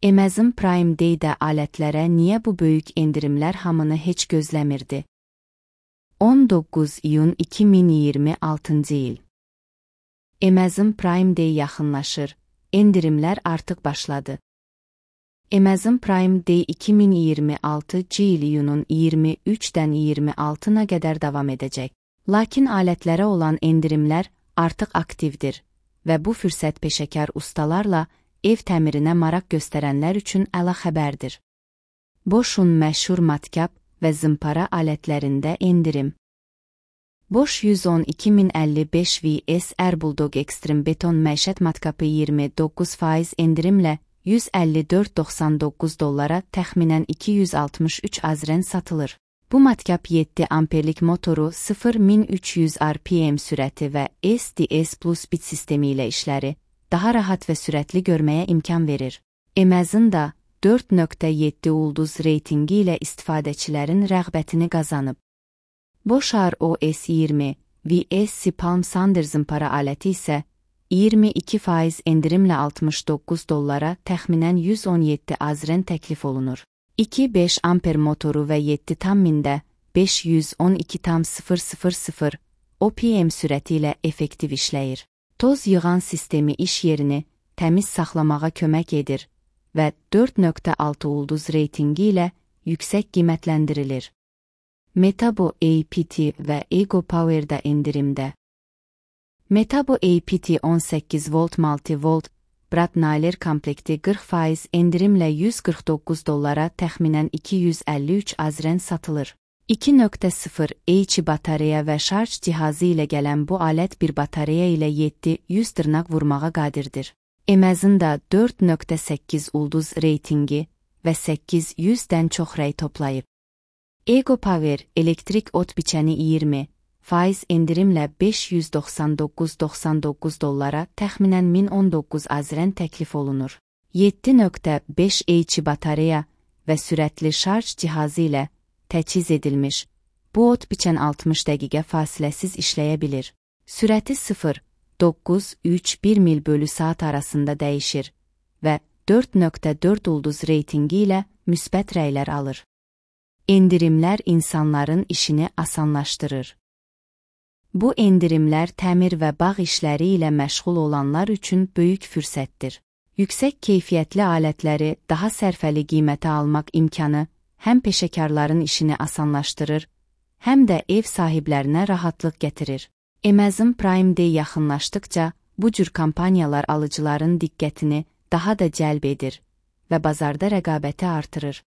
Amazon Prime Day-də alətlərə niyə bu böyük endirimlər hamını heç gözləmirdi? 19 iyun 2026-cı il. Amazon Prime Day yaxınlaşır, endirimlər artıq başladı. Amazon Prime Day 2026-cı il iyunun 23-dən 26-na qədər davam edəcək. Lakin alətlərə olan endirimlər artıq aktivdir və bu fürsət peşəkar ustalarla ev təmirinə maraq göstərənlər üçün əla xəbərdir. Bosch'un məşhur matkap və zımpara alətlərində endirim. Bosch 110-2055 VS Air Bulldog Extreme Beton məişət matkapı 29% endirimlə $154.99 təxminən 263 azren satılır. Bu matkap 7 amperlik motoru 0-1300 RPM sürəti və SDS Plus bit sistemi ilə işləri daha rahat və sürətli görməyə imkan verir. Amazon da 4.7 ulduz reytingi ilə istifadəçilərin rəğbətini qazanıb. Bosch ROS 20 VS Palm Sander zımpara aləti isə 22% endirimlə $69 təxminən 117 azren təklif olunur. 2.5 amper motoru və 7,000-də 512,000 OPM sürəti ilə effektiv işləyir. Toz yığan sistemi iş yerini təmiz saxlamağa kömək edir və 4.6 ulduz reytingi ilə yüksək qiymətləndirilir. Metabo APT və Ego Power'da endirimdə. Metabo APT 18 volt multi-volt Brad-Naylor komplekti 40% endirimlə $149 təxminən 253 azren satılır. 2.0 H batareya və şarj cihazı ilə gələn bu alət bir batareya ilə 700 dırnaq vurmağa qadirdir. Amazon'da 4.8 ulduz reytingi və 800-dən çox rəy toplayıb. Ego Power elektrik ot biçəni 20% endirimlə $599.99 təxminən 1019 azren təklif olunur. 7.5 H batareya və sürətli şarj cihazı ilə təchiz edilmiş, bu ot biçən 60 dəqiqə fasiləsiz işləyə bilir. Sürəti 0,931 mil bölü saat arasında dəyişir və 4.4 ulduz reytingi ilə müsbət rəylər alır. Endirimlər insanların işini asanlaşdırır. Bu endirimlər təmir və bağ işləri ilə məşğul olanlar üçün böyük fürsətdir. Yüksək keyfiyyətli alətləri daha sərfəli qiymətə almaq imkanı həm peşəkarların işini asanlaşdırır, həm də ev sahiblərinə rahatlıq gətirir. Amazon Prime Day yaxınlaşdıqca bu cür kampaniyalar alıcıların diqqətini daha da cəlb edir və bazarda rəqabəti artırır.